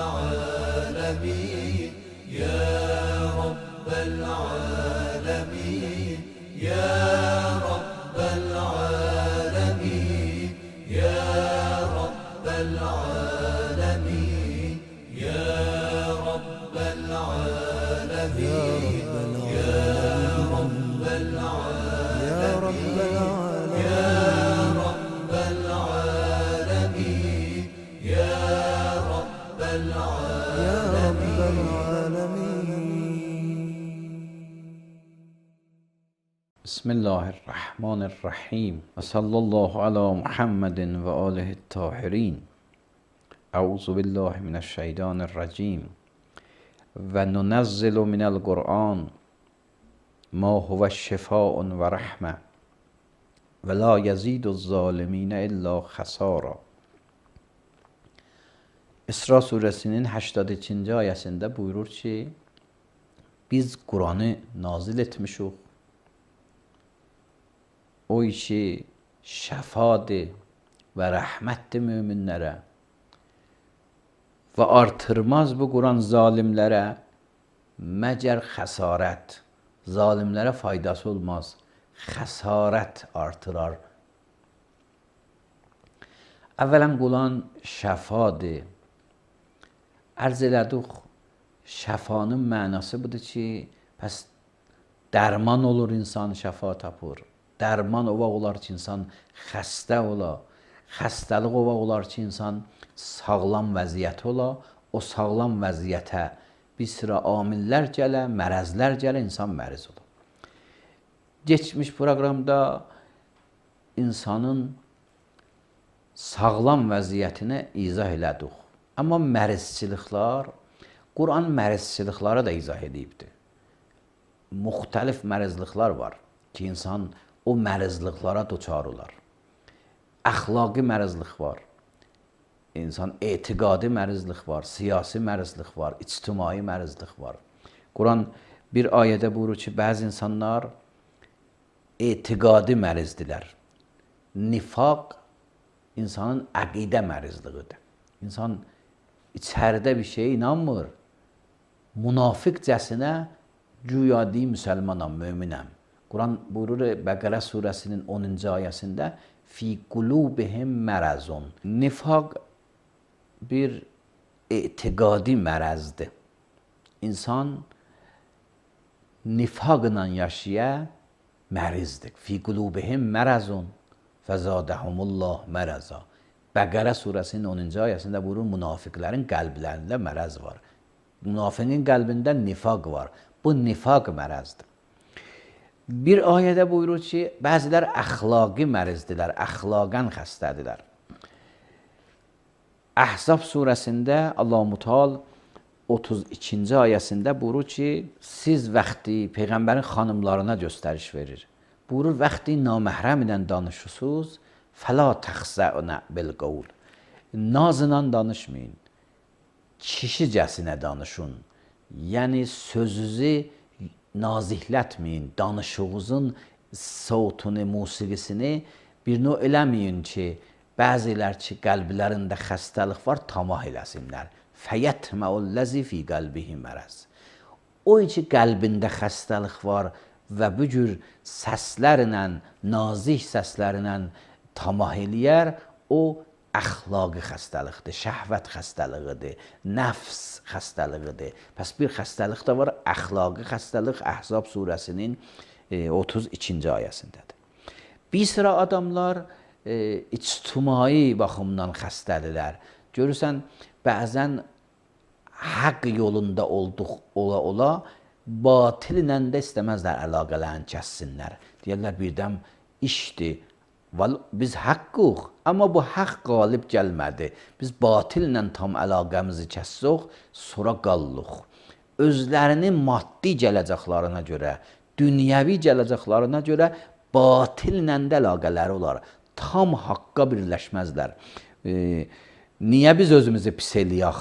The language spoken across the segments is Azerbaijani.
العالمين يا رب العالمين يا رب العالمين يا رب العالمين يا رب العالمين يا رب العالمين يا رب العالمين يا رب العالمين. بسم الله الرحمن الرحیم و صلی الله علی محمد و آله الطاهرین. اعوذ بالله من الشیطان الرجیم و ننزل من القرآن ما هو شفاء و رحمه و لا یزید الظالمین الا خسارا. İsra suresinin 82. ayəsində buyurur ki, biz Kur'an'ı nazil etmişik. O işi şəfadır və rəhmətdir möminlərə və artırmaz bu Kur'an zalimlərə məgər xəsarət. Zalimlərə faydası olmaz, xəsarət artırar. Əvvələn Kur'an şəfadır. Ərz elədik, şəfanın mənası budur ki, pəs dərman olur, insan şəfa tapır. Dərman olar ki, insan xəstə ola. Xəstəlik olar ki, insan sağlam vəziyyət ola. O sağlam vəziyyətə bir sıra amillər gələ, mərəzlər gələ, insan məriz ola. Geçmiş proqramda insanın sağlam vəziyyətini izah elədik. Amma mərizçiliklər, Kur'an mərizçilikləri də izah edibdir. Müxtəlif mərizliklər var ki, insan o mərizliklərə duçar olar. Əxlaqi mərizlik var, insan etiqadi mərizlik var, siyasi mərizlik var, ictimai mərizlik var. Kur'an bir ayədə buyurur ki, bəzi insanlar etiqadi mərizdirlər. Nifaq insanın əqidə mərizliğidir. İnsan içəridə bir şeye inanmır. Münafiqcəsinə güya deyir, müsəlmanam, möminəm. Kur'an buyurur Bəqərə surəsinin 10-cu ayəsində fi qulubihim mərazun. Nifaq bir etiqadi mərəzdir. İnsan nifaqla yaşaya mərizdir. Fi qulubihim mərazun fəzadəhumullah məraza. Bəqərə surəsinin 10-cu ayəsində buyurur, münafiqlərin qəlblərində mərəz var. Münafiqin qəlbində nifaq var. Bu nifaq mərəzdir. Bir ayədə buyurur ki, bəzilər əxlaqi mərizdirlər, əxlaqən xəstədirlər. Əhzab surəsində Allah-u Teala 32-ci ayəsində buyurur ki, siz vaxtı Peyğəmbərin xanımlarına göstəriş verir. Buyurur, vaxtı naməhrəm ilə danışırsınız, fəla təxzəunə bilqavl. Nazla danışmayın, kişicəsinə danışın. Yəni sözünüzü nazihlətməyin, danışığınızın savtunu, musiqisini bir növ eləməyin ki, bəzilər ki, qəlblərində xəstəlik var, tamah eləsinlər. Fəyətməullazi fi qəlbihi mərəz. O ki, qəlbində xəstəlik var və bu cür səslərlə, nazik səslərlə tamah eləyər, o əxlaqi xəstəlikdir, şəhvət xəstəliqidir, nəfs xəstəliqidir. Pəs bir xəstəlik də var, əxlaqi xəstəlik Əhzab surəsinin 32-ci ayəsindədir. Bir sıra adamlar ictimai baxımdan xəstədirlər. Görürsən, bəzən haqq yolunda ola, batillə də istəməzlər əlaqələrini kəssinlər. Deyərlər, birdən işdir. Biz haqqıq, amma bu haqq qalib gəlmədi. Biz batillə tam əlaqəmizi kəssək, sonra qallıq. Özlərinin maddi gələcəklərine görə, dünyəvi gələcəklərine görə batillə də əlaqələri olar. Tam haqqa birləşməzlər. Niyə biz özümüzü pis eləyək?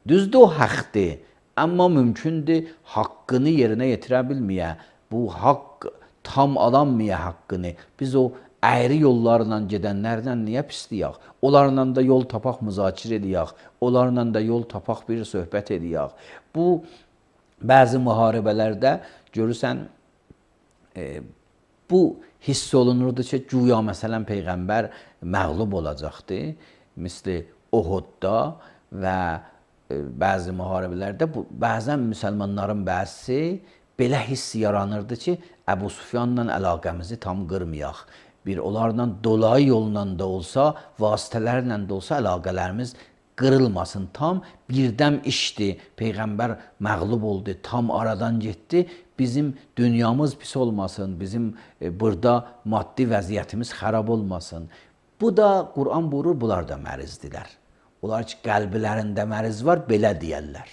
Düzdür, o haqdır, amma mümkündür haqqını yerinə yetirə bilməyə. Bu haqq tam alanmaya haqqını. Biz o əyri yollarla gedənlərlə niyə pisliyək? Onlarla da yol tapaq, müzakirə edəyək. Onlarla da yol tapaq, bir söhbət edəyək. Bu, bəzi müharibələrdə görürsən, bu hiss olunurdu ki, güya məsələn Peyğəmbər məğlub olacaqdı. Misli Uhudda və bəzi müharibələrdə bəzən müsəlmanların bəzisi belə hiss yaranırdı ki, Əbu Süfyanla əlaqəmizi tam qırmayaq. Bir onlarla dolayı yolla da olsa, vasitələrlə də olsa əlaqələrimiz qırılmasın. Tam birdəm işdir. Peyğəmbər məğlub oldu, tam aradan getdi. Bizim dünyamız pis olmasın, bizim burada maddi vəziyyətimiz xarab olmasın. Bu da Quran buyurur, bunlar da mərizdilər. Onlar ki, qəlblərində məriz var, belə deyərlər.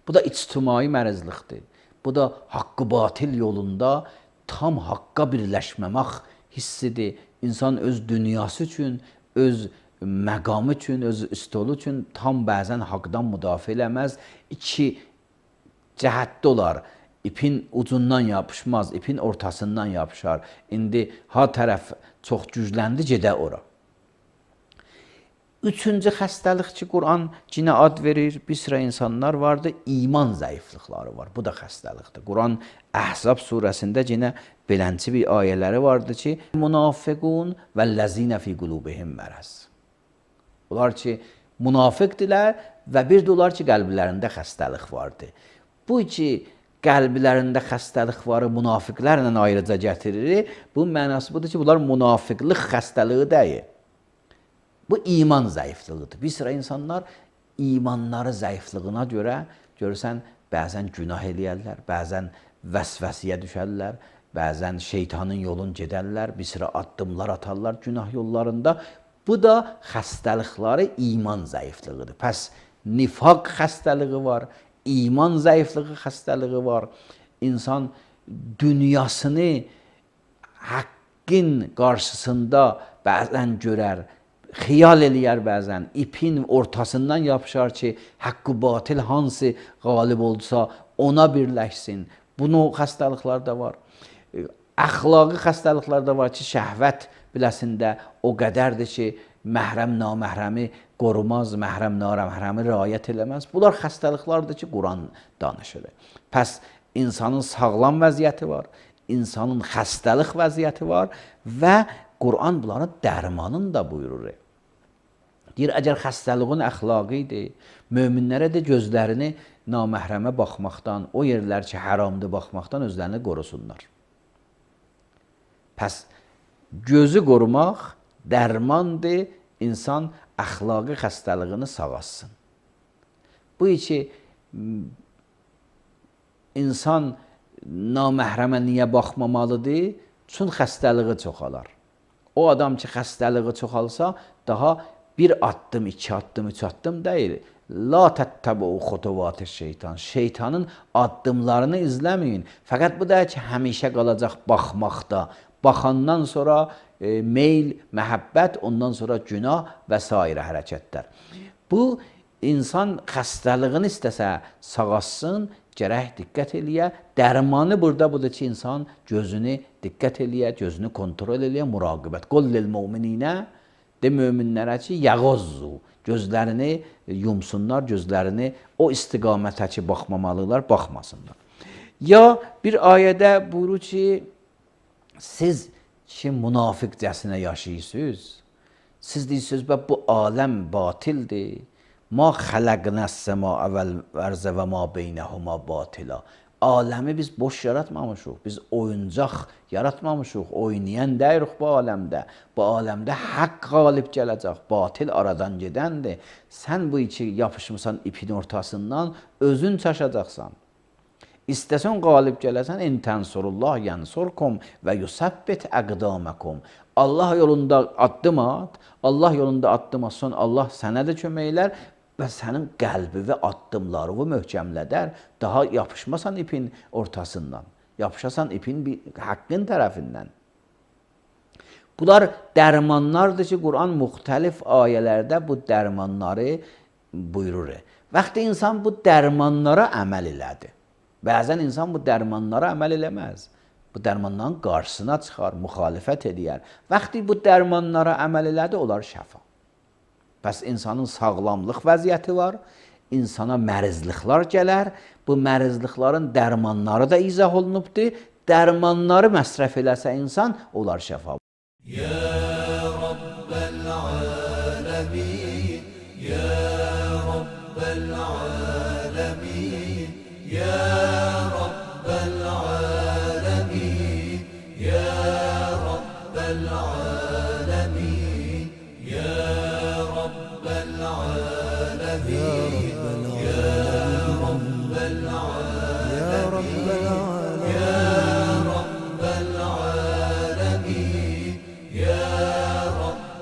Bu da ictimai mərizlikdir. Bu da haqqı batil yolunda tam haqqa birləşməmək hissidir. İnsan öz dünyası üçün, öz məqamı üçün, öz üstolu üçün tam bəzən haqdan müdafiə eləməz. İki cəhətdə olar. İpin ucundan yapışmaz, ipin ortasından yapışar. İndi ha tərəf çox gücləndi, gedə ora. Üçüncü xəstəlik ki, Quran cinə ad verir, bir sıra insanlar vardır, iman zəiflikləri var. Bu da xəstəlikdir. Quran Əhzab surəsində cinə belənçi bir ayələri vardır ki, münafiqun və ləzinə fi qulubihim mərəz. Onlar ki, münafiqdirlər və bir də onlar ki, qəlblərində xəstəlik vardır. Bu ki, qəlblərində xəstəlik varı münafiqlərlə ayrıca gətirir. Bu mənası budur ki, bunlar münafiqlik xəstəliyi deyil. Bu iman zəifliyidir. Bir sıra insanlar imanları zəifliyina görə görürsən, bəzən günah eləyərlər, bəzən vəsvəsiyə düşərlər, bəzən şeytanın yolun gedərlər, bir sıra addımlar atarlar günah yollarında. Bu da xəstəlikləri iman zəifliyidir. Pəs nifaq xəstəliyi var, iman zəifliyi xəstəliyi var. İnsan dünyasını haqqın qarşısında bəzən görər, xiyal eləyər bəzən, ipin ortasından yapışar ki, haqqı batil hansı qalib olsa ona birləşsin. Bunu xəstəliklər də var. Əxlaqi xəstəliklər də var ki, şəhvət biləsində o qədərdir ki, məhrəm naməhrəmi qorumaz, məhrəm naməhrəmi riayət eləməz. Bunlar xəstəliklərdir ki, Quran danışır. Pəs insanın sağlam vəziyyəti var, insanın xəstəlik vəziyyəti var və Quran bunların dərmanını da buyurur. Deyir, əgər xəstəliğin əxlaqidir, möminlərə də gözlərini naməhrəmə baxmaqdan, o yerlər ki, haramdır baxmaqdan özlərini qorusunlar. Pəs, gözü qorumaq dərmandır, insan əxlaqi xəstəliğini sağalsın. Bu ki, insan naməhrəmə niyə baxmamalıdır? Çün xəstəliği çoxalar. O adam ki, xəstəliği çoxalsa, daha bir addım, iki addım, üç addım deyil. La təttəbu xutuvat-ı şeytan. Şeytanın addımlarını izləməyin. Fəqət bu da ki, həmişə qalacaq baxmaqda. Baxandan sonra meyl, məhəbbət, ondan sonra günah və s. hərəkətlər. Bu, insan xəstəliğini istəsə sağalsın, gərək diqqət eləyə. Dərmanı burada budur ki, insan gözünü diqqət eləyə, gözünü kontrol eləyə, muraqibət. Qul lil mu'mininə, de möminlərə ki, yəğazzu, gözlərini yumsunlar, gözlərini o istiqamətə ki, baxmamalılar, baxmasınlar. Ya bir ayədə buyurur ki, siz ki, münafiqcəsinə yaşayırsınız, siz deyirsiniz, bu aləm batildir. Ma xələqnəs səma vəl-ərzə və ma beynəhuma batila. Aləmi biz boş yaratmamışıq, biz oyuncaq yaratmamışıq, oynayan deyirik bu aləmdə. Bu aləmdə haqq qalib gələcək, batil aradan gedəndir. Sən bu iki yapışmısan ipin ortasından, özün çaşacaqsan. İstəsən qalib gələsən, in tənsurullah yansurkum və yusabbit əqdaməkum. Allah yolunda addım at, Allah yolunda addım atsan, Allah sənə də kömək elər və sənin qəlbi və addımları möhkəmlədər, daha yapışmasan ipin ortasından, yapışasan ipin haqqın tərəfindən. Bunlar dərmanlardır ki, Quran müxtəlif ayələrdə bu dərmanları buyurur. Vaxtı insan bu dərmanlara əməl elədi. Bəzən insan bu dərmanlara əməl eləməz. Bu dərmanların qarşısına çıxar, müxalifət edər. Vaxtı bu dərmanlara əməl elədi, olar şəfa. Bəs insanın sağlamlıq vəziyyəti var, insana mərizliklər gələr. Bu mərizliklərin dərmanları da izah olunubdur. Dərmanları məsrəf eləsə insan, olar şəfa. Ya Rabbel alemin, Ya Rabbel alemin, Ya Rabbel alemin, Ya Rabbel alemin, Ya Rabbel alemin, Ya Rabbel alemin, Ya Rabbel alemin, Ya Rabbel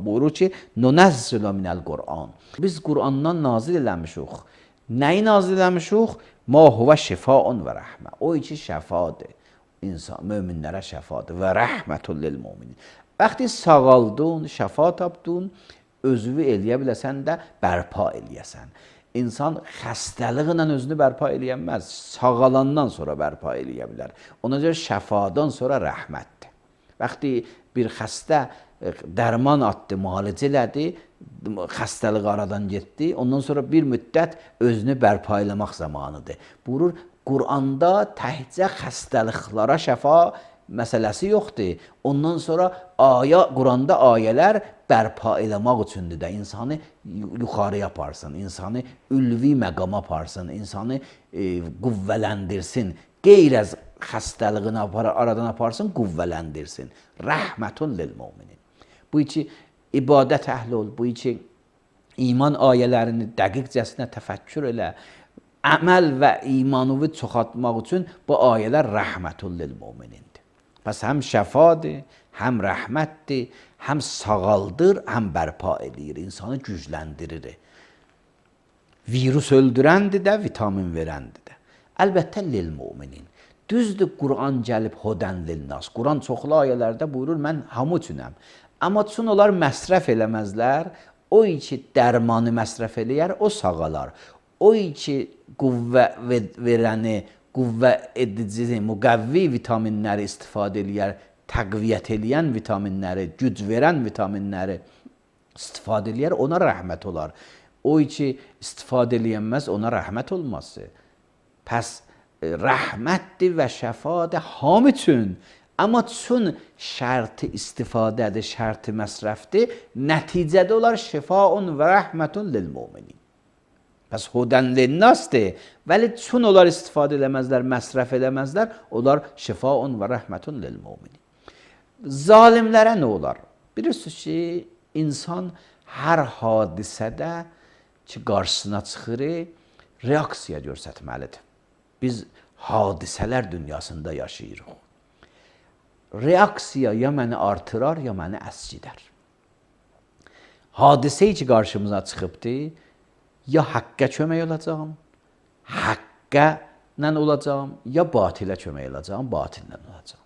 Buyurur ki, nunəzzilü minəl Qur'an. Biz Qur'andan nazil eləmişik. Nəyi nazil eləmişik? Ma huvə şifaun və rəhmə. O ki, şəfadır. İnsan, möminlərə şəfadır. Və rəhmətun lil müminin. Vaxtı sağaldın, şəfa tapdın, özünü eləyə biləsən də bərpa eləyəsən. İnsan xəstəliğinlə özünü bərpa eləyəməz. Sağalandan sonra bərpa eləyə bilər. Ona görə şəfadan sonra rəhmətdir. Vaxtı bir xəstə dərman atdı, müalicə elədi, xəstəlik aradan getdi. Ondan sonra bir müddət özünü bərpa eləmək zamanıdır. Buyurur, Qur'anda təhcə xəstəliklara şəfa məsələsi yoxdur. Ondan sonra Qur'anda ayələr bərpa eləmək üçündür də. İnsanı yuxarıya aparsın, insanı ülvi məqama aparsın, insanı qüvvələndirsin. Qeyr az xəstəliğini aradan aparsın, qüvvələndirsin. Rəhmətun lil müminin. Bu ki, ibadət əhli ol, bu ki, iman ayələrini dəqiqcəsinə təfəkkür elə, əməl və imanını çoxaltmaq üçün bu ayələr rəhmətun lil müminindir. Pəs həm şəfadır, həm rəhmətdir, həm sağaldır, həm bərpa edir, insanı gücləndirir. Virus öldürəndir də, vitamin verəndir də. Əlbəttə lil müminin. Düzdür, Qur'an gəlib hodən lil nas. Qur'an çoxlu ayələrdə buyurur, mən hamı üçünəm. Amma çün onlar məsrəf eləməzlər, o ki dərmanı məsrəf eləyər, o sağalar. O ki qüvvə verəni, qüvvə edici, müqəvvi vitaminləri istifadə eləyər, təqviyyət eləyən vitaminləri, güc verən vitaminləri istifadə eləyər, ona rəhmət olar. O ki istifadə eləyənməz, ona rəhmət olmazdır. Pəs rəhmətdir və şəfadır hamı üçün. Amma çün şərti istifadədir, şərti məsrəfdir, nəticədə olar şifaun və rəhmətun lil müminin. Pəs hudən lil nasdır, vəli çün onlar istifadə eləməzlər, məsrəf eləməzlər, onlar şifaun və rəhmətun lil müminin. Zalimlərə nə olar? Bilirsiniz ki, insan hər hadisədə ki, qarşısına çıxır, reaksiya göstərməlidir. Biz hadisələr dünyasında yaşayırıq. Reaksiya ya məni artırar, ya məni əskidər. Hadisə ki, qarşımıza çıxıbdır, ya haqqa kömək olacağım, haqqa ilə olacağım, ya batilə kömək olacağım, batillə olacağım.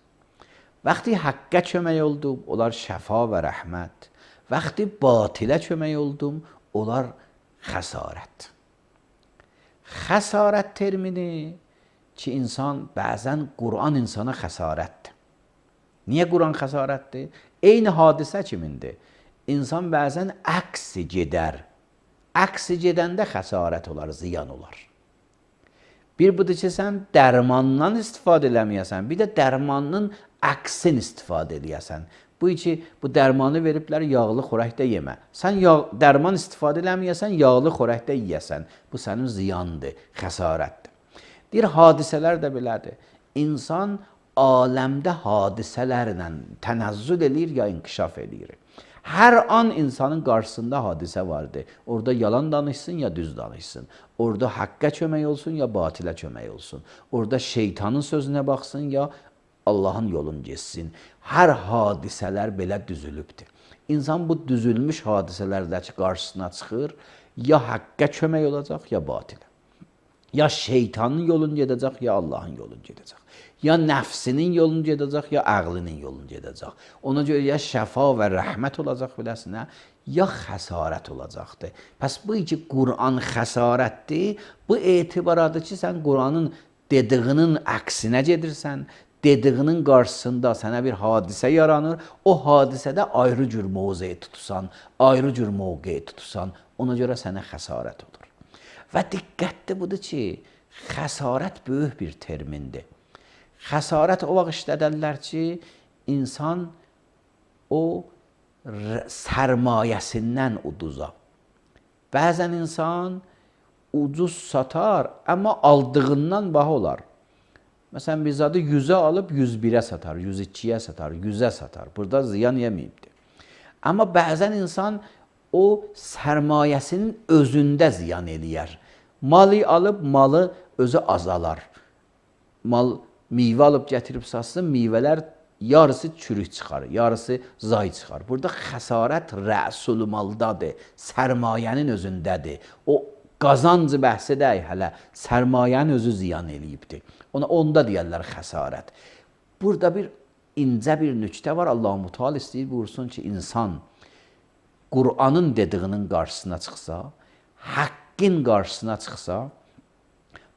Vaxtı haqqa kömək oldum, olar şəfa və rəhmət. Vaxtı batilə kömək oldum, olar xəsarət. Xəsarət termini ki, insan bəzən Qur'an insana xəsarətdir. Niyə Qur'an xəsarətdir? Eyni hadisə kimindir? İnsan bəzən əksi gedər. Əksi gedəndə xəsarət olar, ziyan olar. Bir budur ki, sən dərmandan istifadə eləməyəsən, bir də dərmanın əksin istifadə eləyəsən. Bu ki, bu dərmanı veriblər, yağlı xörəkdə yemə. Sən dərman istifadə eləməyəsən, yağlı xörəkdə yeyəsən. Bu sənin ziyandır, xəsarətdir. Deyir, hadisələr də belədir. İnsan aləmdə hadisələrlə tənəzzül eləyir ya inkişaf eləyir. Hər an insanın qarşısında hadisə vardır. Orada yalan danışsın ya düz danışsın. Orada haqqa kömək olsun ya batilə kömək olsun. Orada şeytanın sözünə baxsın ya Allahın yolunu geçsin. Hər hadisələr belə düzülübdür. İnsan bu düzülmüş hadisələrdəki qarşısına çıxır, ya haqqa kömək olacaq ya batilə. Ya şeytanın yolunu gedəcək, ya Allahın yolunu gedəcək. Ya nəfsinin yolunu gedəcək, ya ağlının yolunu gedəcək. Ona görə ya şəfa və rəhmət olacaq biləsinə, ya xəsarət olacaqdır. Pəs bu ki, Qur'an xəsarətdir, bu etibaradır ki, sən Qur'anın dediyinin əksinə gedirsən, dediyinin qarşısında sənə bir hadisə yaranır, o hadisədə ayrı cür mövqe tutursan, ayrı cür mövqe tutursan, ona görə sənə xəsarət olur. Və diqqətli budur ki, xəsarət böyük bir termindir. Xəsarət o vaxt işlədərlər ki, insan o sərmayəsindən uduza. Bəzən insan ucuz satar, amma aldığından baha olar. Məsələn, bir zadı 100-ə alıb 101-ə satar, 102-yə satar, 100-ə satar. Burada ziyan yeməyibdir. Amma bəzən insan o sərmayəsinin özündə ziyan eləyər. Malı alıb, malı özü azalar. Mal meyvə alıb gətirib satsın, meyvələr yarısı çürük çıxar, yarısı zay çıxar. Burada xəsarət rəsul maldadır, sərmayənin özündədir. O qazancı bəhs edək hələ, sərmayənin özü ziyan eləyibdir. Onda deyərlər xəsarət. Burada bir incə bir nüktə var. Allah-u Teala istəyir buyursun ki, insan Qur'anın dediyinin qarşısına çıxsa, haqqın qarşısına çıxsa,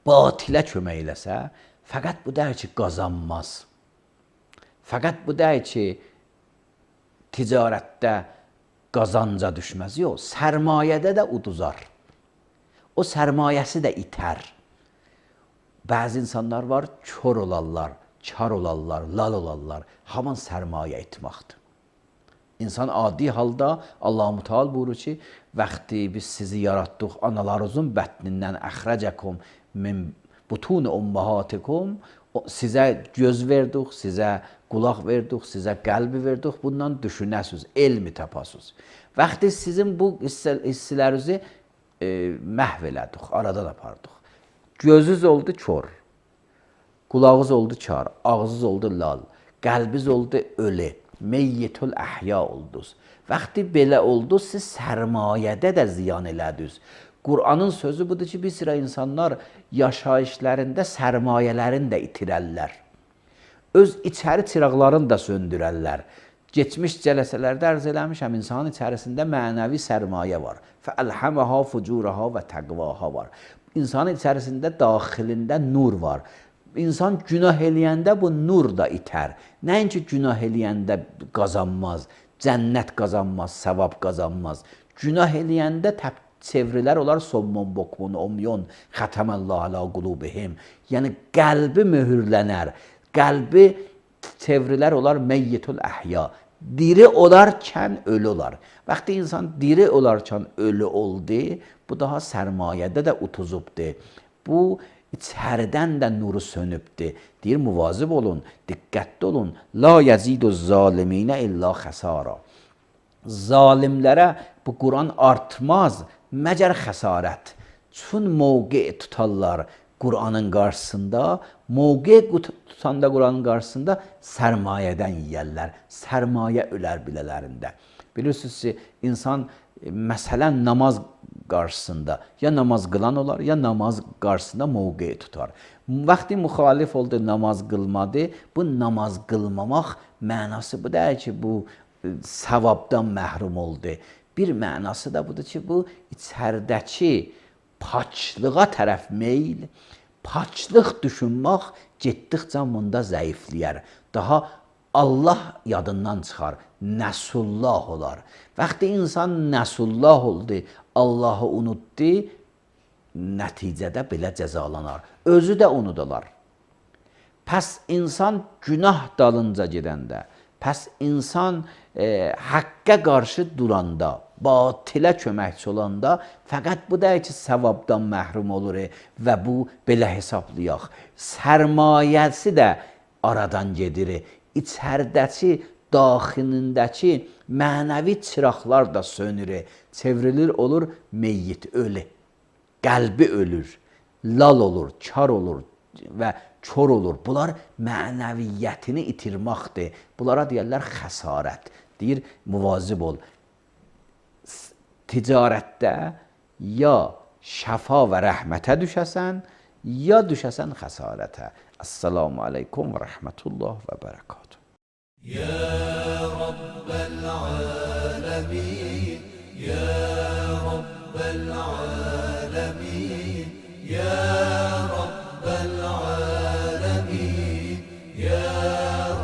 batilə kömək eləsə, fəqət bu deyir ki, qazanmaz. Fəqət bu deyir ki, ticarətdə qazanca düşməz. Yox, sərmayədə də uduzar. O sərmayəsi də itər. Bəzi insanlar var, kör olarlar, kar olarlar, lal olarlar. Haman sərmayə itmaqdır. İnsan adi halda Allah-u Teala buyurur ki, vaxtı biz sizi yaratdıq, analarınızın bətnindən əxrəcəkum min butun ummahatikum, sizə göz verdik, sizə qulaq verdik, sizə qəlbi verdik, bundan düşünəsiz, elmi tapasız. Vaxtı sizin bu hissələrinizi məhv elədik, aradan apardıq. Gözünüz oldu kör, qulağınız oldu kar, ağzınız oldu lal, qəlbiniz oldu ölü, meyyitül əhya oldunuz. Vaxtı belə oldu, siz sərmayədə də ziyan elədiniz. Qur'anın sözü budur ki, bir sıra insanlar yaşayışlarında sərmayələrini də itirərlər. Öz içəri çıraqlarını da söndürərlər. Geçmiş cələsələrdə ərz eləmişəm, insanın içərisində mənəvi sərmayə var. Fəəlhəməhə fucurəhə və təqvahə var. İnsanın içərisində daxilində nur var. İnsan günah eləyəndə bu nur da itər. Nəinki günah eləyəndə qazanmaz, cənnət qazanmaz, savab qazanmaz. Günah eləyəndə çevrilər olar sommun, bokmun, omyon, xətəməllah alə qulubihim. Yəni qəlbi möhürlənər, qəlbi çevrilər olar meyyitül əhya. Diri olarkən ölü olar. Vaxtı insan diri olarkən ölü oldu, bu daha sərmayədə də utuzubdur. Bu içəridən də nuru sönübdür. Deyir, muvazib olun, diqqətli olun. La yəzidu zaliminə illa xəsara. Zalimlərə bu Quran artmaz, məgər xəsarət. Çün mövqe tutarlar Qur'anın qarşısında, mövqe tutanda Qur'anın qarşısında sərmayədən yiyərlər. Sərmayə ölər bilələrində. Bilirsiniz ki, insan məsələn namaz qarşısında ya namaz qılan olar, ya namaz qarşısında mövqe tutar. Vaxtı müxalif oldu, namaz qılmadı. Bu namaz qılmamaq mənası bu deyil ki, bu savabdan məhrum oldu. Bir mənası da budur ki, bu içəridəki paçlığa tərəf meyl, paçlıq düşünmək getdikcə bunda zəifləyər. Daha Allah yadından çıxar, nəsullah olar. Vaxtı insan nəsullah oldu, Allahı unutdu, nəticədə belə cəzalanar. Özü də unudular. Pəs insan günah dalınca gedəndə, pəs insan haqqa qarşı duranda, batilə köməkçi olanda, fəqət bu deyil ki, savabdan məhrum olur və bu belə hesablayaq. Sərmayəsi də aradan gedir. İçəridəki, daxilindəki mənəvi çıraqlar da sönür. Çevrilir, olur meyyit, ölü. Qəlbi ölür, lal olur, kar olur və kör olur. Bunlar mənəviyyətini itirməkdir. Bunlara deyərlər xəsarət. Deyir, muvazib ol. Ticarətdə ya şəfa və rəhmətə düşəsən, یا düşəsən xəsarətə. Assalamu aleykum və rəhmətullah və bərəkatuhu. يا رب العالمين يا رب العالمين يا رب العالمين يا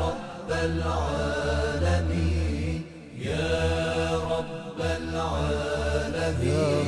رب العالمين يا رب العالمين